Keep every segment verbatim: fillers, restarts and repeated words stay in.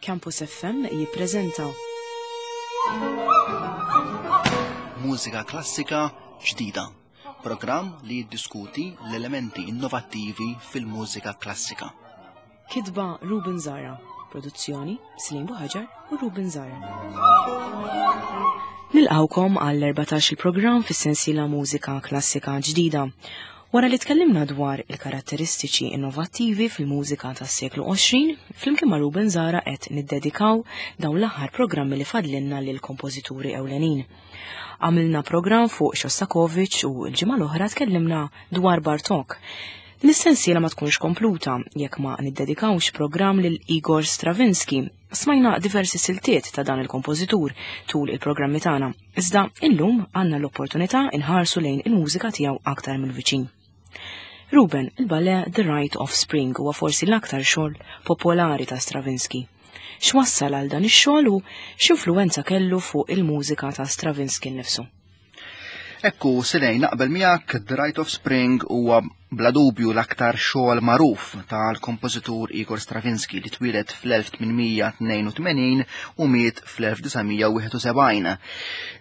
Campus F M jippreżenta Mużika klassika ġdida, programm li jiddiskuti l-elementi innovattivi fil-mużika klassika. Kitba Ruben Zara, produzzjoni Slim Buhaġar u Ruben Zara. Nilqawkom għall-erbatax il-programm fis-sensiela Mużika Klassika Ġdida. Wara li tkellimna dwar il-karatteristiċi innovattivi fil-mużika tas-seklu għoxrin, flimkien ma' Ruben Zara qed niddedikaw dawn l-aħħar programmi li fadlinna lil kompożituri ewlenin. Għamilna programm fuq Shostakovich u l-ġimgħa l-oħra tkellimna dwar Bartók. Din is-sensiela ma tkunx kompluta jekk ma niddedikawx programm lil Igor Stravinsky. Smajna diversi siltiet ta' dan il-kompożitur tul il-programmi tagħna, iżda illum għandna l-opportunità inħarsu lejn il-mużika tiegħu aktar mill-viċin. Ruben, il-ballet The Rite of Spring huwa forsi l-aktar xogħol popolari ta' Stravinsky. X'wassal għal dan ix-xogħol u x'influwenza kellu fuq il-mużika ta' Stravinsky nnifsu? Ekku, Silej, naqbel miegħek The Rite of Spring huwa bla dubju l-aktar xogħol magħruf tal-kompożitur Igor Stravinsky li twieled fl-elf tmien mija tnejn u tmenin u miet fl-elf disa' mija wieħed u sebgħin.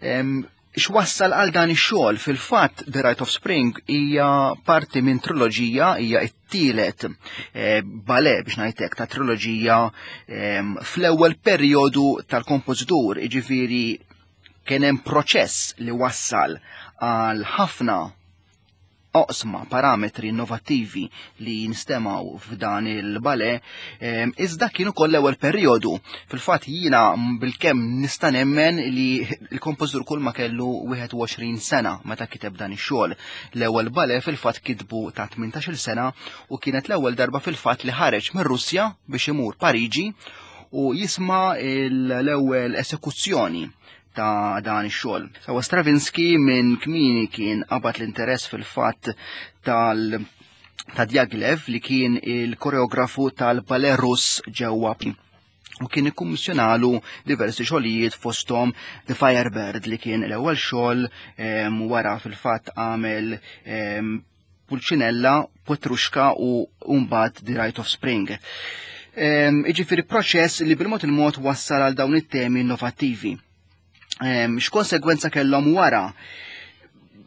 Em, x'wassal għal dan ix-xogħol? Fil-fatt The Rite of Spring hija parti minn triloġija, hija t-tielet, eh, ballet biex ngħidlek ta' triloġija, em, fl-ewwel perjodu tal-kompożitur, jiġifieri kien hemm proċess li wassal għal ħafna oqsma, parametri innovattivi li jinstemaw f'dan il-ballet, em, iżda kienu koll l-ewwel perjodu. Fil-fatt jiena bilkemm nista' nemmen li l-kompożitur kull ma kellu wieħed u għoxrin sena meta kiteb dan ix-xogħol. L-ewwel ballet fil-fatt kitbu ta' tmintax-il sena u kienet l-ewwel darba fil-fatt li ħareġ mir-Russja biex imur Pariġi u jisma' l-ewwel esekuzzjoni ta' dan ix-xogħol. Sawa Stravinsky minn kmieni kien qabad l-interess fil-fatt tal ta' Diaghilev li kien il-koreografu tal-Ballet Russ ġewwa u kien ikkummissjonalu diversi xogħlijiet fosthom The Firebird li kien l-ewwel xogħol, em, wara fil-fatt għamel, em, Pulcinella, Petrushka u mbagħad The Rite of Spring. Em, jiġifieri proċess li bil-mod il-mod wassal għal dawn it-temi innovattivi. Em, x'konsegwenza kellhom wara?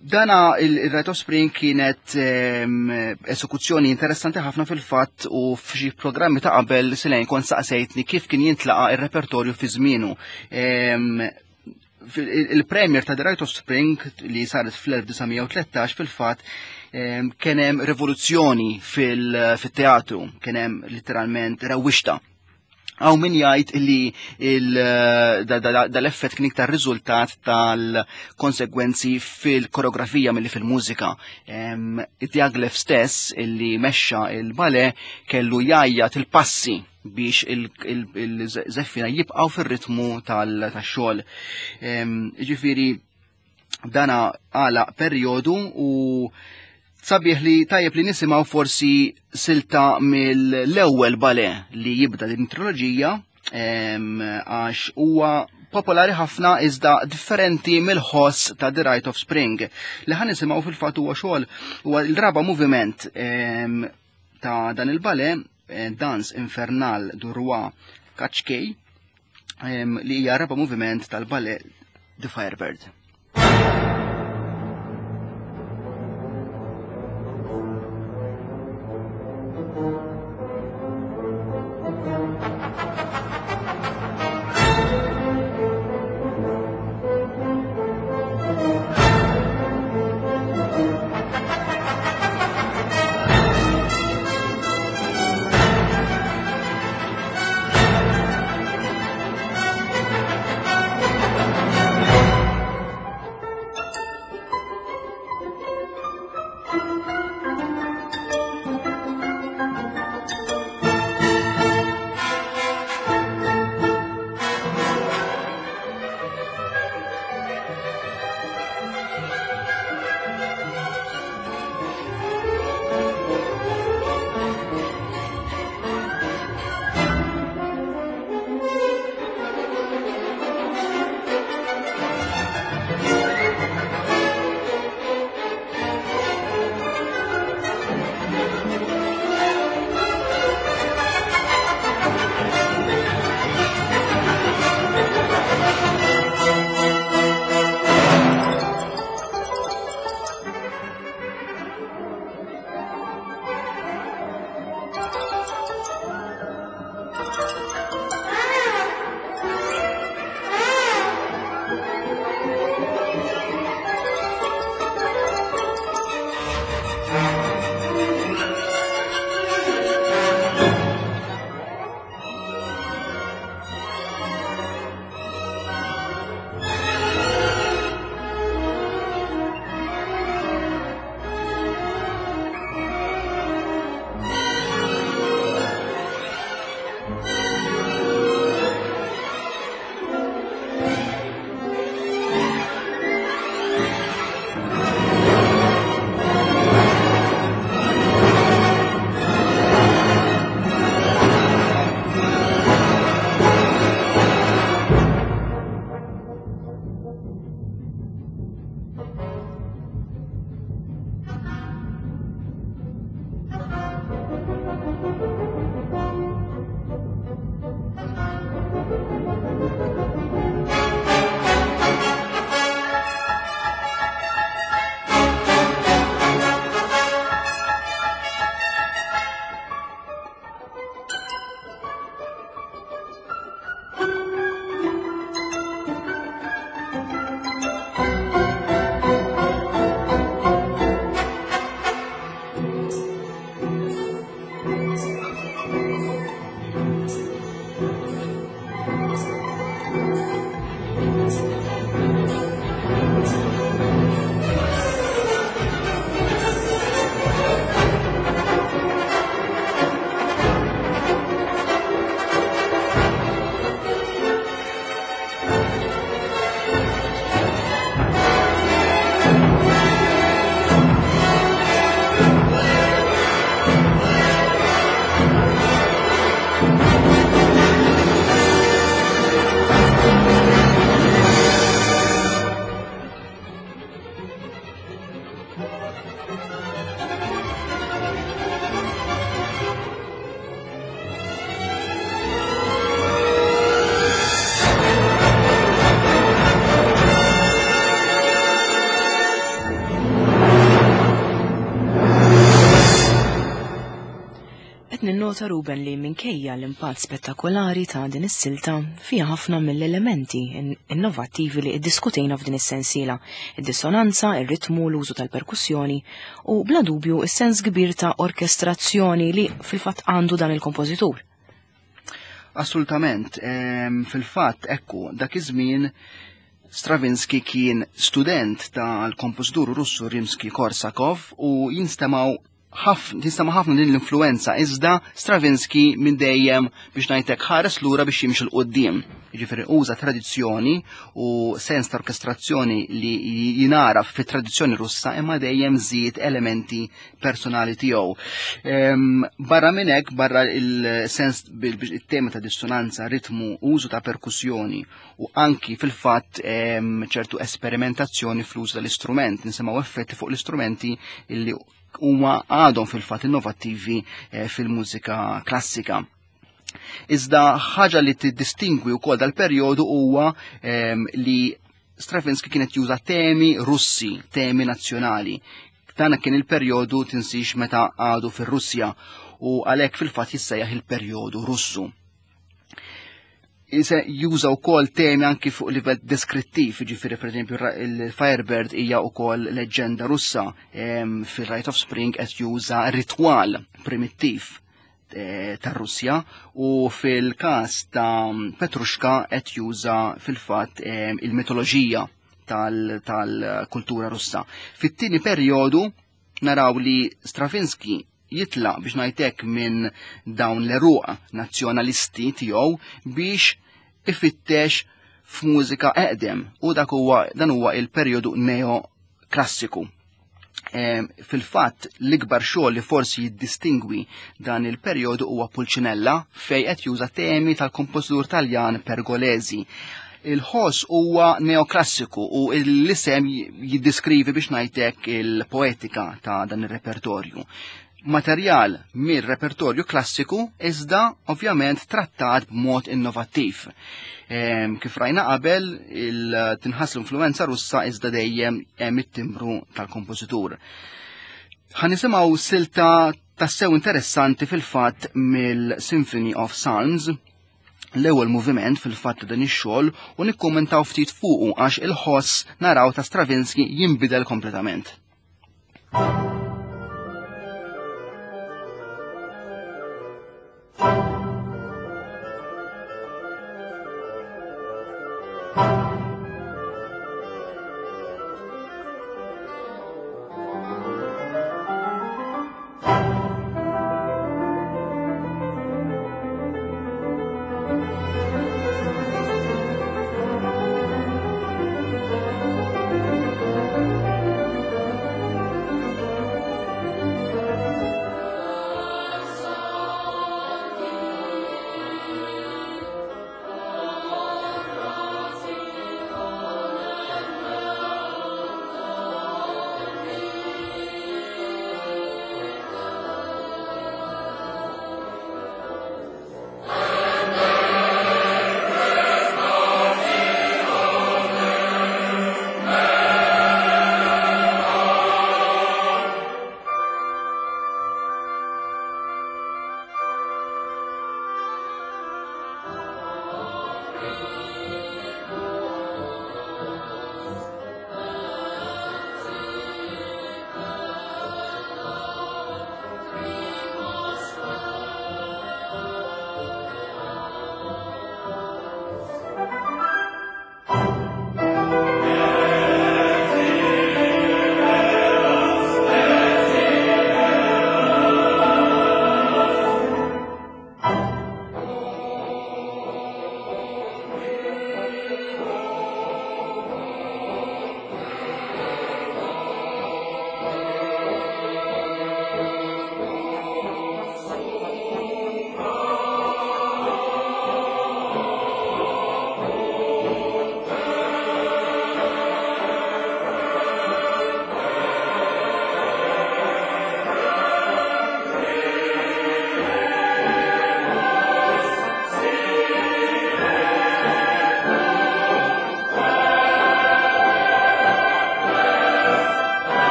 Dana il-, il-Rite of Spring kienet, em, esekuzzjoni interessanti ħafna fil-fatt u f'xi programmi ta' qabel Silejn kont saqsejtni kif kien jintlaqa ir-repertorju fi żmienu. Em, fil-, il-, il-premier ta' The Rite of Spring li saret fl-elf disa' mija u tlettax fil-fatt, em, kien hemm rivoluzzjoni fil-, fit-teatru, kien hemm literalment rewwixta. Għaw min jgħid li il-, da-, da-, da-, dal-effett kien iktar riżultat tal-konsegwenzi fil-koreografija milli fil-mużika. Em, Diaghilev stess illi mexxa il-ballet kellu jgħajjat il-passi biex il-, il-, il-żeffina jibqgħu fir-ritmu tal-, tax-xogħol. Em, jiġifieri dana għala perjodu u sabiħ li tajjeb li nisimgħu forsi silta mill-ewwel ballet li jibda din triloġija, em, għax huwa popolari ħafna iżda differenti mill-ħoss ta' The Rite of Spring. Li ħan nisimgħu fil-fatt huwa xogħol huwa l-raba' moviment, em, ta' dan il-ballet, eh, Danse Infernale du Roi Kachkei, em, li hija raba' moviment tal-ballet The Firebird. Thank Ninnota, Ruben, li minkejja l-impatt spettakolari ta' din is-silta fiha ħafna mill-elementi innovattivi li iddiskutejna f'din is-sensiela: id-dissonanza, ir-ritmu, l-użu tal-perkussjoni u bla dubju is-sens kbir ta' orkestrazzjoni li fil-fatt għandu dan il-kompożitur. Assolutament, fil-fatt ekku, dak iż-żmien Stravinsky kien student tal-kompożitur Russu Rimsky-Korsakov u jinstemaw ħafna tinstema' ħafna din l-influenza, iżda Stravinsky minn dejjem, biex ngħidlek, ħares lura biex jimxi 'l quddiem. Jiġifieri uża tradizzjoni u sens ta' orkestrazzjoni li jinaraf fit-tradizzjoni Russa, imma dejjem żied elementi personali tiegħu. Barra minn hekk, barra il-sens il-tema ta' dissonanza, ritmu, użu ta' perkussjoni u anki fil-fatt ċertu esperimentazzjoni fl-użu tal-istrument, nisimgħu effetti fuq l-istrumenti illi huma għadhom fil-fatt innovattivi eh, fil-mużika klassika. Iżda ħaġa li tiddistingwi wkoll dal-perjodu huwa ehm, li Stravinsky kienet juża temi Russi, temi nazzjonali. Dan kien il-perjodu, tinsix, meta għadu fir-Russja u għalhekk fil-fatt jissejjaħ il-perjodu Russu. Juża wkoll temi anki fuq livell deskrittiv, ġifieri pereżempju il-Firebird hija wkoll leġġenda Russa, fil-Rite of Spring qed juża ritwal primittiv eh, tar-Russja u fil-każ ta' Petrushka qed juża fil-fatt il-mitoloġija tal-kultura Russa. Fit-tieni perjodu naraw li Stravinsky jitla, biex ngħidlek, minn dawn l-eruq nazzjonalisti tiegħu biex ifittex f'mużika eqdem u dak huwa dan huwa il-perjodu neoklassiku. Fil-fatt l-ikbar xogħol li forsi jiddistingwi dan il-perjodu huwa Pulcinella, fej qed juża temi tal-kompożitur Taljan Pergolesi. Il-ħoss huwa neoklassiku u l-isem jiddiskrivi, biex ngħidlek, il-poetika ta' dan ir-repertorju. Materjal mir-repertorju klassiku iżda ovvjament trattat b'mod innovattiv. Kif rajna qabel, tinħass l-influenza Russa, iżda dejjem hemm it-timbru tal-kompożitur. Ħa nisimgħu silta tassew interessanti fil-fatt mill-Symphony of Psalms, l-ewwel moviment fil-fatt dan ix-xogħol, u nikkummentaw ftit fuqu għax il-ħoss naraw ta' Stravinsky jinbidel kompletament.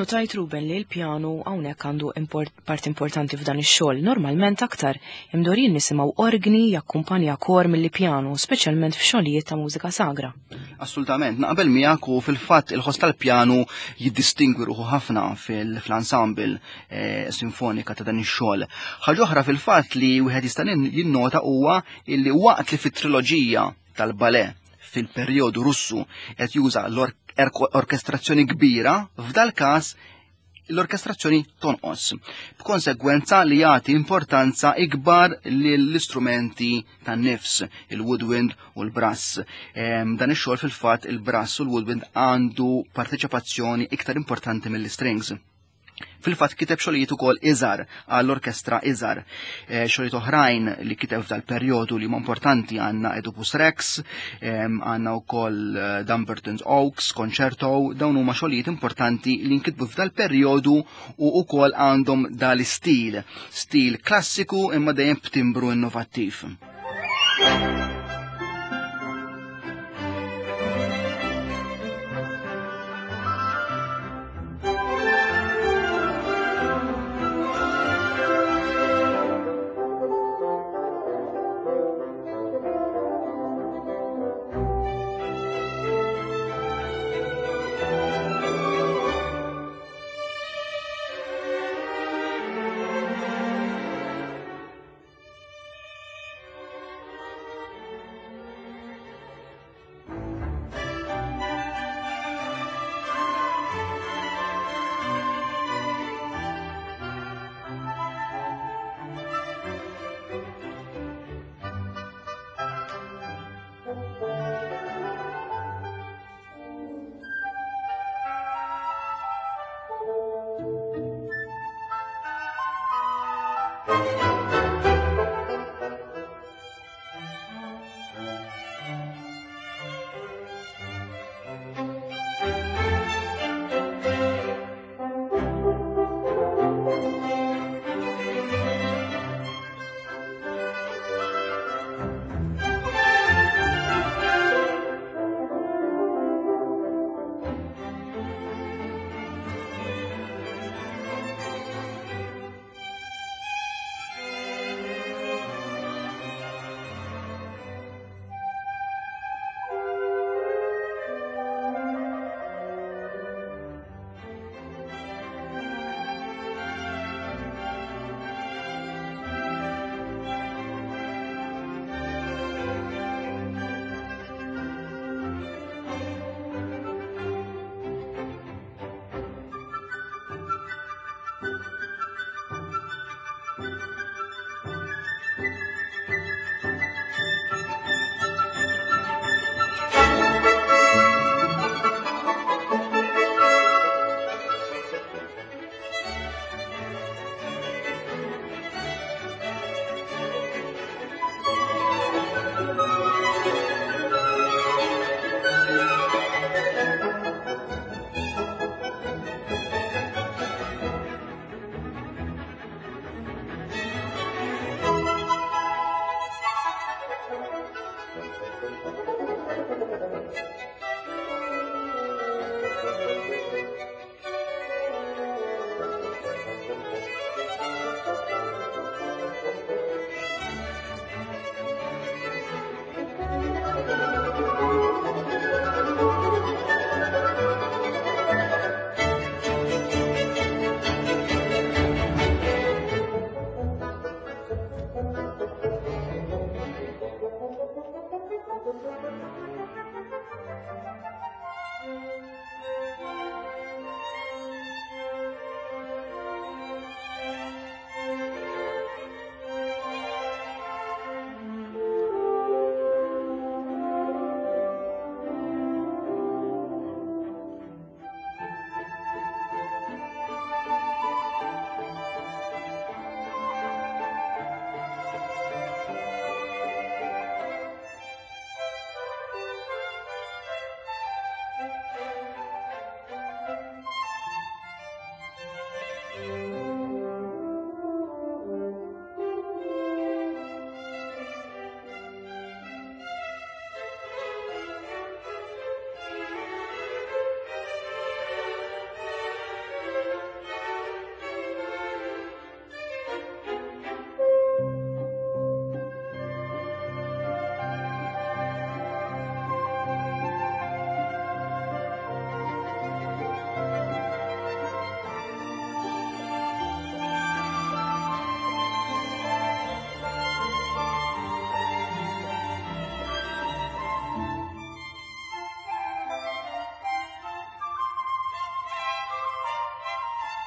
Innotajt, Ruben, li l-pjanu hawnhekk għandu import, part importanti f'dan ix-xogħol. Normalment aktar imdorrijin nisimgħu orgni jakkumpanja kor milli pjanu, speċjalment f'xogħlijiet ta' mużika sagra. Assolutament, naqbel miegħek u fil-fatt il-ħoss tal-pjanu jiddistingwi ruħu ħafna fil-ensemble eh, sinfonika ta' dan ix-xogħol. Ħaġa oħra fil-fatt li wieħed jista' jinnota huwa illi waqt li fit-triloġija tal-ballet fil-perjodu Russu qed juża l-orkestrazzjoni kbira, f'dal każ l-orkestrazzjoni tonqos. B'konsegwenza li jagħti importanza ikbar lill-istrumenti tan-nifs, il-woodwind u l-brass. Dan ix-xogħol fil-fatt il-brass u l-woodwind għandu parteċipazzjoni iktar importanti mill-strings. Fil-fatt kiteb xogħlijiet ukoll iżgħar għall-orkestra iżgħar. E, xogħlijiet oħrajn li kiteb f'dal-perjodu li huma importanti għandna Oedipus Rex, għandna wkoll eh, Dumbarton's Oaks, Concerto, dawn huma xogħlijiet importanti li nkitbu f'dal-perjodu u wkoll għandhom dal-istil, stil klassiku imma dejjem b'timbru innovattiv.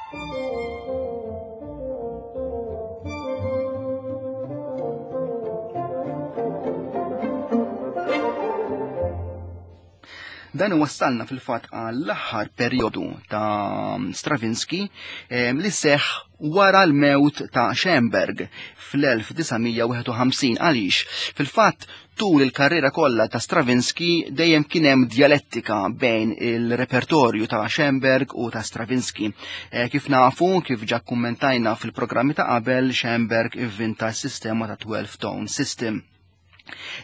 Dan wassalna fil-fatt għall-aħħar perjodu ta' Stravinsky li seħ wara l-mewt ta' Schoenberg fl-elf disa' mija wieħed u ħamsin. Għaliex fil-fatt tul il-karriera kollha ta' Stravinsky dejjem kien hemm djalettika bejn il-repertorju ta' Schoenberg u ta' Stravinsky. E, kif nafu, kif ġa kummentajna fil-programmi ta' qabel, Schoenberg ivvinta s-sistema ta' twelve tone system.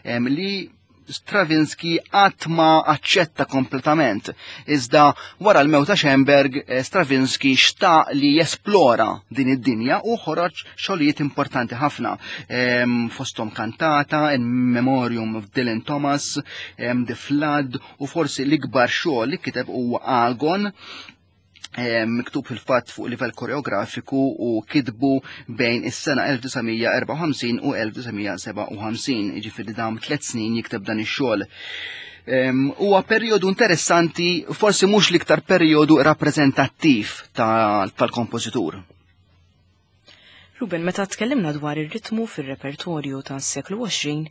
Em, li Stravinsky qatt ma aċċetta kompletament. Iżda wara l-mewt ta' Schoenberg, eh, Stravinsky xtaq li jesplora din id-dinja u ħoroġ xogħlijiet importanti ħafna. Em, fosthom kantata, In Memoriam of Dylan Thomas, em, The Flood, u forsi l-ikbar xogħol li kiteb huwa Agon, em, miktub fil-fatt fuq livell koreografiku u kitbu bejn is-sena elf disa' mija erbgħa u ħamsin u elf disa' mija sebgħa u ħamsin, jiġifieri dam tliet snin jikteb dan ix-xogħol. Em, huwa perjodu interessanti, forsi mhux l-iktar perjodu rappreżentattiv ta-, tal-kompożitur. Ruben, meta tkellimna dwar ir-ritmu fir-repertorju tas-seklu għoxrin,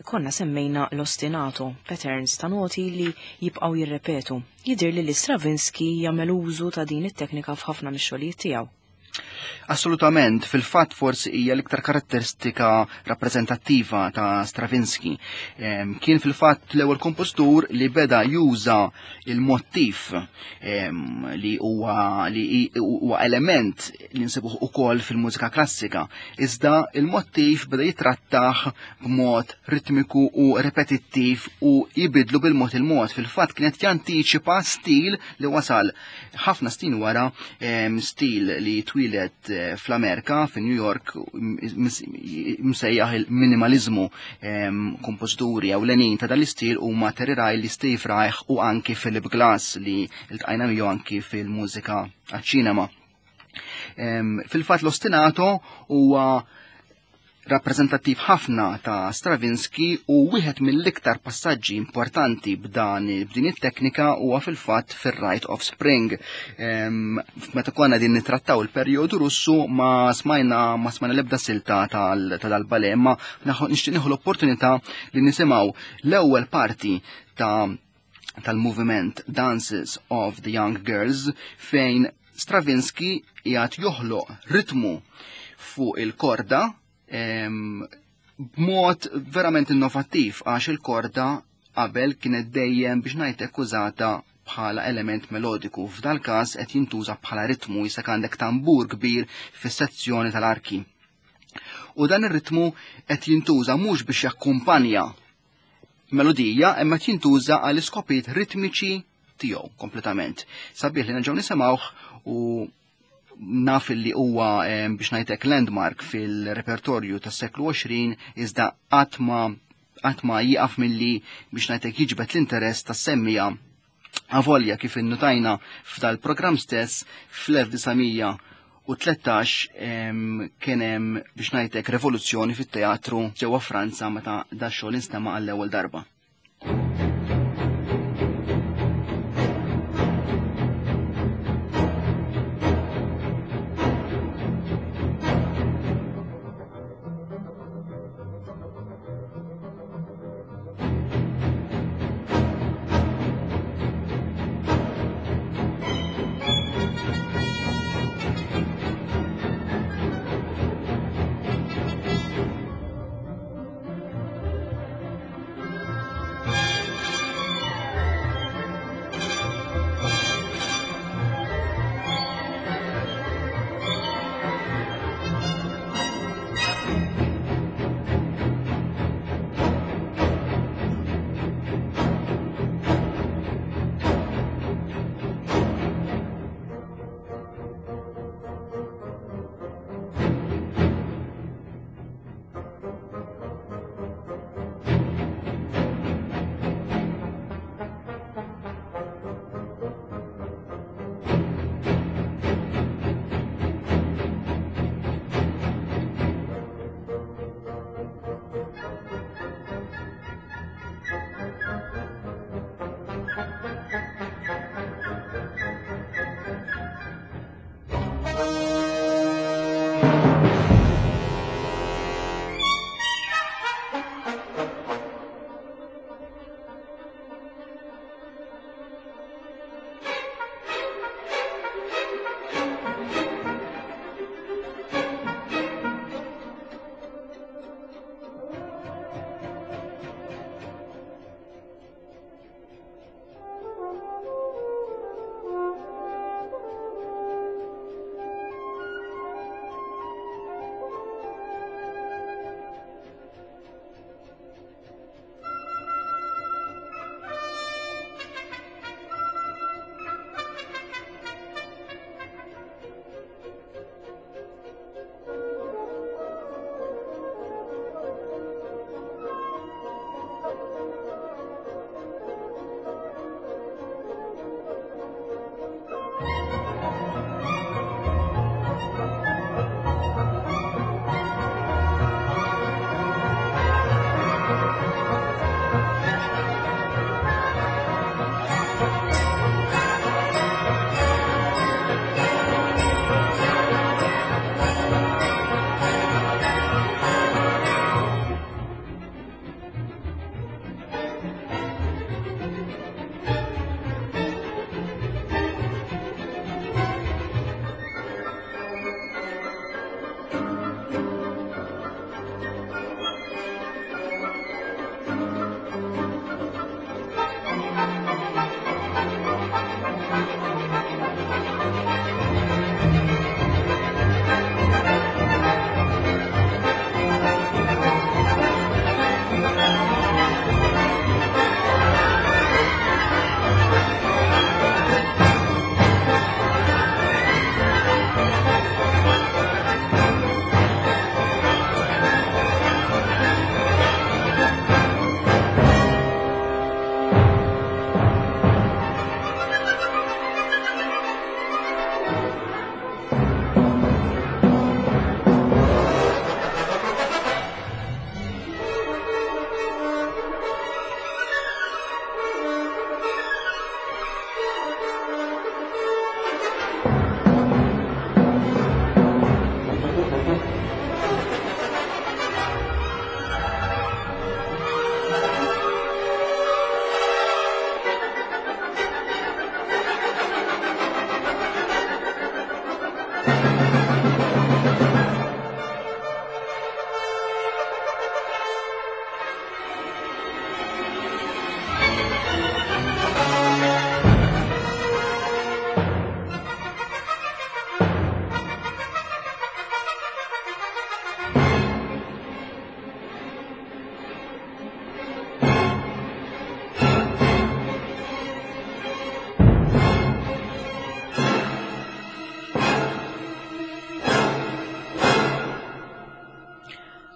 konna semmejna l-ostinato, patterns ta' noti li jibqgħu jirrepetu. Jidher li Stravinsky jagħmel użu ta' din it-teknika f'ħafna mix-xogħlijiet tiegħu. Assolutament, fil-fatt forsi hija l-iktar karatteristika rappreżentattiva ta' Stravinsky. Em, kien fil-fatt l-ewwel kompożitur li beda juża il-mottiv, em, li huwa, li hi-, huwa element li nsibuh ukoll fil-mużika klassika, iżda il-mottiv beda jitrattah b'mod ritmiku u repetittiv u jibidlu bil-mod il-mod. Fil-fatt kienet jantiċipa stil li wasal ħafna snin wara, em, stil li twieled, eh, fl-Amerika, fi New York, mis-, msejjaħ il-minimalizmu. Em, kompożituri ewlenin ta' dal-istil huma Terry Riley, Steve Reich u anki Philip Glass li ltqajna miegħu anki fil-mużika għaċ-ċinema. Em, fil-fatt l-ostinato huwa rappreżentattiv ħafna ta' Stravinsky u wieħed mill-iktar passaġġi importanti b'dan, b'din it-teknika huwa fil-fatt fir-Rite of Spring. Em, meta konna din nittrattaw il-perjodu Russu ma smajna, ma smajna l-ebda silta tal-, ta' dal-ballet, imma naħu-, nixtieq nieħu l-opportunità li nisimgħu l-ewwel parti ta' tal-moviment Dances of the Young Girls fejn Stravinsky qiegħed joħloq ritmu fuq il-korda, em, b'mod verament innovattiv, għax il-korda qabel kienet dejjem biex ngħidlek użata bħala element melodiku. F'dal każ qed jintuża bħala ritmu, jisek għandek tambur kbir fis-sezzjoni tal-arki. U dan ir-ritmu qed jintuża mhux biex jakkumpanja melodija, imma qed jintuża għal iskopijiet ritmiċi tiegħu kompletament. Sabiħ li nerġgħu nisimgħuh u naf li huwa, em, biex ngħidlek landmark fil-repertorju tas-seklu għoxrin, iżda qatt ma, qatt ma jieqaf milli biex ngħidlek jiġbed l-interess tas-semmija. Avolja kif innutajna f'dal-programm stess fl-elf disa' mija u tlettax, em, kien hemm biex ngħidlek revoluzzjoni fit-teatru ġewwa Franza meta da xogħol instema' għall-ewwel darba.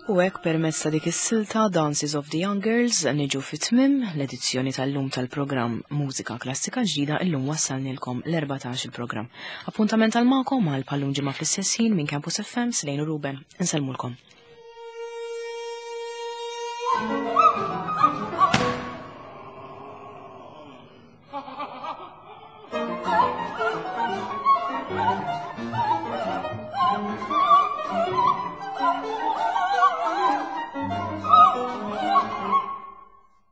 U hekk permezz ta' dik is-silta Dances of the Young Girls niġu fit-tmim l-edizzjoni tal-lum tal-programm Mużika Klassika Ġdida illum wassalnilkom l-erbatax il-programm. Appuntament għal magħkom għal bħal-lum ġimgħa fl-istess ħin minn Campus F M Slejn u Ruben. Insellmulkom.